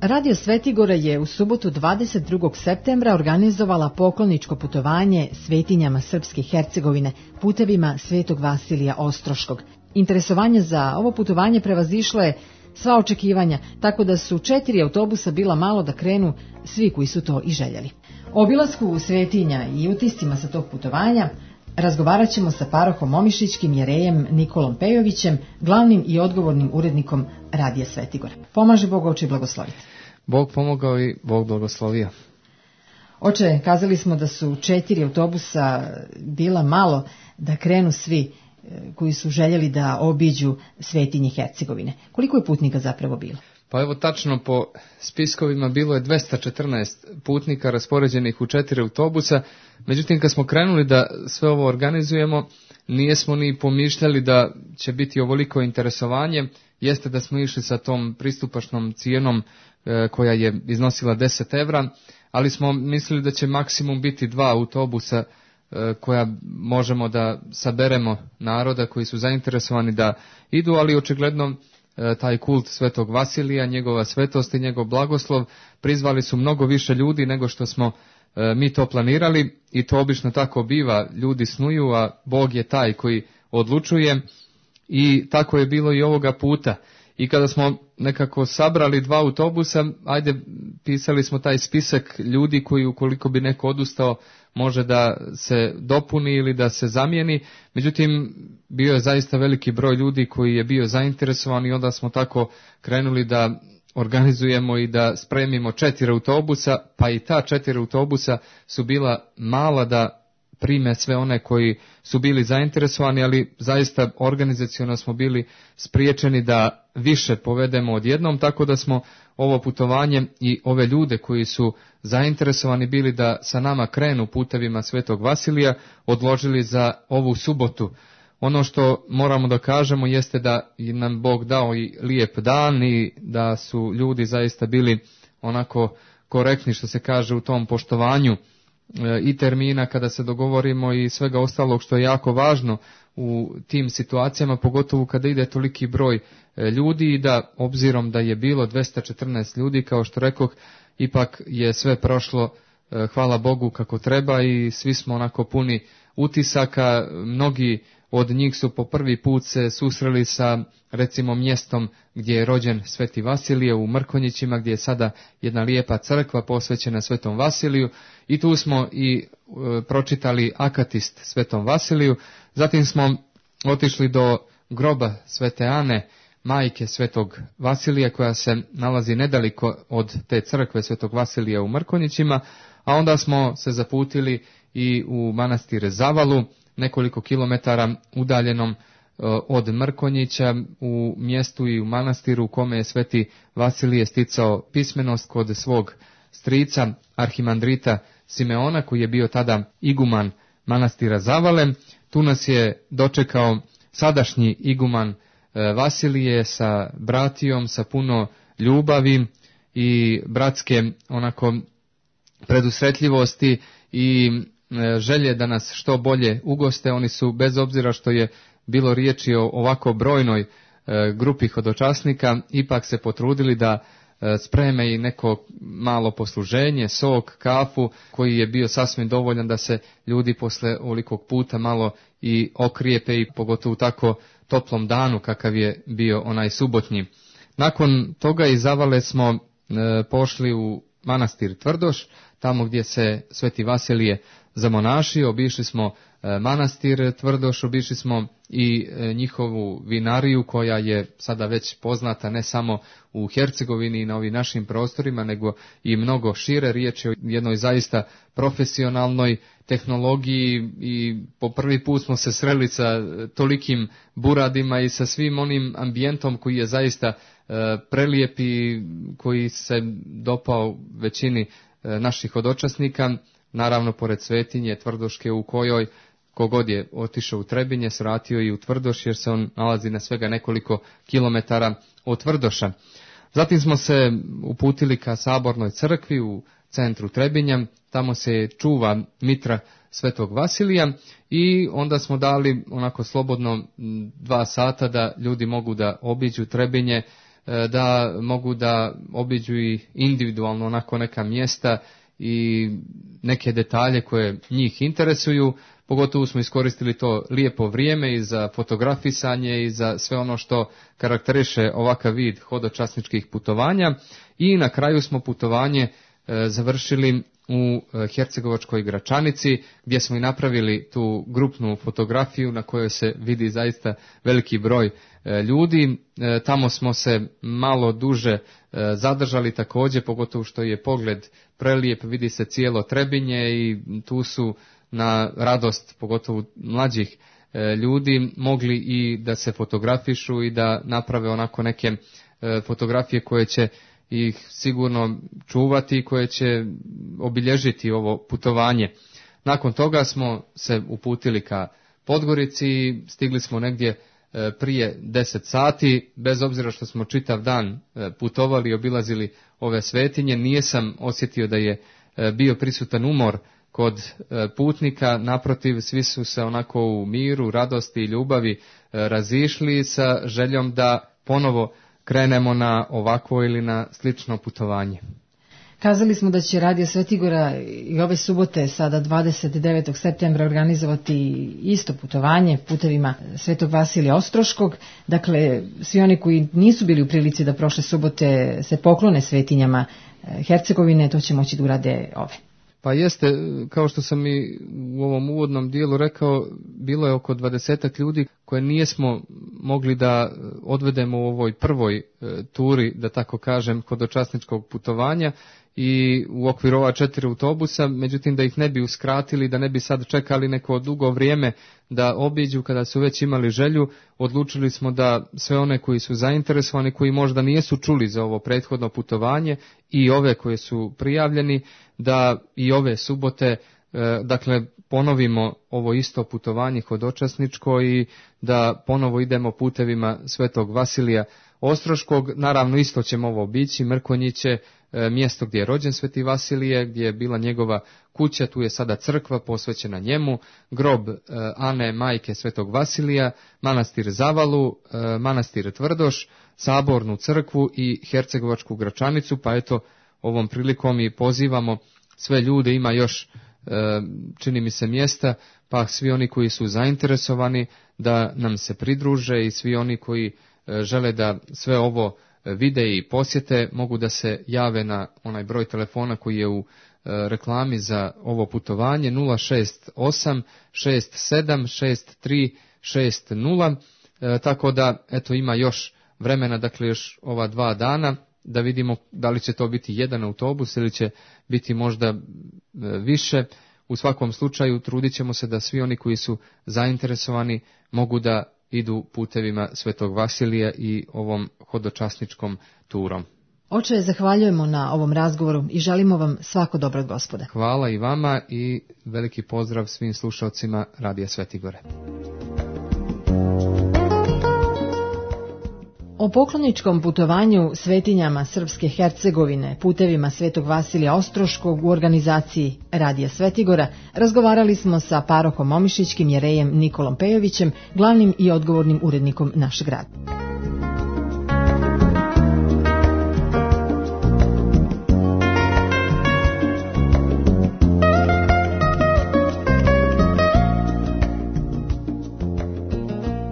Radio Svetigora je u subotu 22. septembra organizovala pokloničko putovanje svetinjama Srpske Hercegovine putevima Svetog Vasilija Ostroškog. Interesovanje za ovo putovanje prevazišlo je sva očekivanja, tako da su 4 autobusa bila malo da krenu svi koji su to i željeli. O obilasku svetinja i utiscima sa tog putovanja razgovarat ćemo sa parohom Omišićkim jerejem Nikolom Pejovićem, glavnim i odgovornim urednikom Radija Svetigora. Pomaže Bog, oče, blagoslovite. Bog pomogao i Bog blagoslovio. Oče, kazali smo da su 4 autobusa bila malo da krenu svi koji su željeli da obiđu svetinje Hercegovine. Koliko je putnika zapravo bilo? Pa evo, tačno po spiskovima bilo je 214 putnika raspoređenih u 4 autobusa. Međutim, kad smo krenuli da sve ovo organizujemo, nijesmo ni pomišljali da će biti ovoliko interesovanje. Jeste da smo išli sa tom pristupačnom cijenom koja je iznosila 10 evra, ali smo mislili da će maksimum biti 2 autobusa koja možemo da saberemo naroda koji su zainteresovani da idu, ali očigledno taj kult Svetog Vasilija, njegova svetost i njegov blagoslov prizvali su mnogo više ljudi nego što smo mi to planirali, i to obično tako biva, ljudi snuju, a Bog je taj koji odlučuje, i tako je bilo i ovoga puta. I kada smo nekako sabrali 2 autobusa, pisali smo taj spisak ljudi koji, ukoliko bi neko odustao, može da se dopuni ili da se zamijeni. Međutim, bio je zaista veliki broj ljudi koji je bio zainteresovan, i onda smo tako krenuli da organizujemo i da spremimo 4 autobusa, pa i ta 4 autobusa su bila mala da prime sve one koji su bili zainteresovani, ali zaista organizaciono smo bili spriječeni da više povedemo odjednom, tako da smo ovo putovanje i ove ljude koji su zainteresovani bili da sa nama krenu putevima Svetog Vasilija odložili za ovu subotu. Ono što moramo da kažemo jeste da nam Bog dao i lijep dan i da su ljudi zaista bili onako korektni, što se kaže, u tom poštovanju i termina kada se dogovorimo i svega ostalog što je jako važno u tim situacijama, pogotovo kada ide toliki broj ljudi, i da obzirom da je bilo 214 ljudi, kao što rekoh, ipak je sve prošlo, hvala Bogu, kako treba, i svi smo onako puni utisaka. Mnogi od njih su po prvi put se susreli sa, recimo, mjestom gdje je rođen Sveti Vasilije, u Mrkonjićima, gdje je sada jedna lijepa crkva posvećena Svetom Vasiliju, i tu smo i pročitali akatist Svetom Vasiliju. Zatim smo otišli do groba Svete Ane, majke Svetog Vasilija, koja se nalazi nedaleko od te crkve Svetog Vasilija u Mrkonjićima, a onda smo se zaputili i u manastir Zavalu, nekoliko kilometara udaljenom od Mrkonjića, u mjestu i u manastiru u kome je Sveti Vasilije sticao pismenost kod svog strica, arhimandrita Simeona, koji je bio tada iguman manastira Zavale. Tu nas je dočekao sadašnji iguman Vasilije sa bratijom, sa puno ljubavi i bratske onako predusretljivosti i želje da nas što bolje ugoste. Oni su, bez obzira što je bilo riječi o ovako brojnoj grupi hodočasnika, ipak se potrudili da spreme i neko malo posluženje, sok, kafu, koji je bio sasvim dovoljan da se ljudi posle ovolikog puta malo i okrijepe, i pogotovo u tako toplom danu kakav je bio onaj subotnji. Nakon toga iz Zavale smo pošli u manastir Tvrdoš, tamo gdje se Sveti Vasilije zamonašio. Obišli smo manastir Tvrdoš, obišli smo i njihovu vinariju, koja je sada već poznata ne samo u Hercegovini i na ovim našim prostorima, nego i mnogo šire. Riječ je o jednoj zaista profesionalnoj tehnologiji, i po prvi put smo se sreli sa tolikim buradima i sa svim onim ambijentom koji je zaista prelijep i koji se dopao većini naših hodočasnika. Naravno, pored svetinje Tvrdoške, u kojoj kogod je otišao u Trebinje, svratio i u Tvrdoš, jer se on nalazi na svega nekoliko kilometara od Tvrdoša. Zatim smo se uputili ka Sabornoj crkvi u centru Trebinja, tamo se čuva mitra Svetog Vasilija, i onda smo dali onako slobodno 2 sata da ljudi mogu da obiđu Trebinje, da mogu da obiđu i individualno onako neka mjesta i neke detalje koje njih interesuju. Pogotovo smo iskoristili to lijepo vrijeme i za fotografisanje i za sve ono što karakteriše ovakav vid hodočasničkih putovanja. I na kraju smo putovanje završili u Hercegovačkoj Gračanici, gdje smo i napravili tu grupnu fotografiju na kojoj se vidi zaista veliki broj ljudi. Tamo smo se malo duže zadržali također, pogotovo što je pogled prelijep, vidi se cijelo Trebinje i tu su na radost pogotovo mlađih ljudi mogli i da se fotografišu i da naprave onako neke fotografije koje će ih sigurno čuvati, koje će obilježiti ovo putovanje. Nakon toga smo se uputili ka Podgorici i stigli smo negdje prije 10 sati, bez obzira što smo čitav dan putovali i obilazili ove svetinje, nisam osjetio da je bio prisutan umor kod putnika, naprotiv, svi su se onako u miru, radosti i ljubavi razišli sa željom da ponovo krenemo na ovakvo ili na slično putovanje. Kazali smo da će Radio Svetigora i ove subote, sada 29. septembra, organizovati isto putovanje putevima Svetog Vasilija Ostroškog. Dakle, svi oni koji nisu bili u prilici da prošle subote se poklone svetinjama Hercegovine, to će moći da urade ove. Pa jeste, kao što sam i u ovom uvodnom dijelu rekao, bilo je oko 20 ljudi koje nijesmo mogli da odvedemo u ovoj prvoj turi, da tako kažem, hodočasničkog putovanja i u okviru ova 4 autobusa, međutim da ih ne bi uskratili, da ne bi sad čekali neko dugo vrijeme da obiđu kada su već imali želju, odlučili smo da sve one koji su zainteresovani, koji možda nijesu čuli za ovo prethodno putovanje i ove koje su prijavljeni, da i ove subote, dakle, ponovimo ovo isto putovanje hodočasničko i da ponovo idemo putevima Svetog Vasilija Ostroškog. Naravno isto ćemo ovo obići, Mrkonjiće, mjesto gdje je rođen Sveti Vasilije, gdje je bila njegova kuća, tu je sada crkva posvećena njemu, grob Ane, majke Svetog Vasilija, manastir Zavalu, manastir Tvrdoš, sabornu crkvu i Hercegovačku Gračanicu, pa eto ovom prilikom i pozivamo sve ljude, ima još čini mi se mjesta, pa svi oni koji su zainteresovani da nam se pridruže i svi oni koji žele da sve ovo vide i posjete, mogu da se jave na onaj broj telefona koji je u reklami za ovo putovanje 068 67 63 60, tako da eto ima još vremena, dakle još ova 2 dana da vidimo da li će to biti jedan autobus ili će biti možda više. U svakom slučaju trudit ćemo se da svi oni koji su zainteresovani mogu da idu putevima Svetog Vasilija i ovom hodočasničkom turom. Oče, zahvaljujemo na ovom razgovoru i želimo vam svako dobro od Gospoda. Hvala i vama i veliki pozdrav svim slušalcima Radija Svetigore. O pokloničkom putovanju svetinjama Srpske Hercegovine putevima Svetog Vasilija Ostroškog u organizaciji Radija Svetigora razgovarali smo sa parohom Omišićkim jerejem Nikolom Pejovićem, glavnim i odgovornim urednikom našeg rada.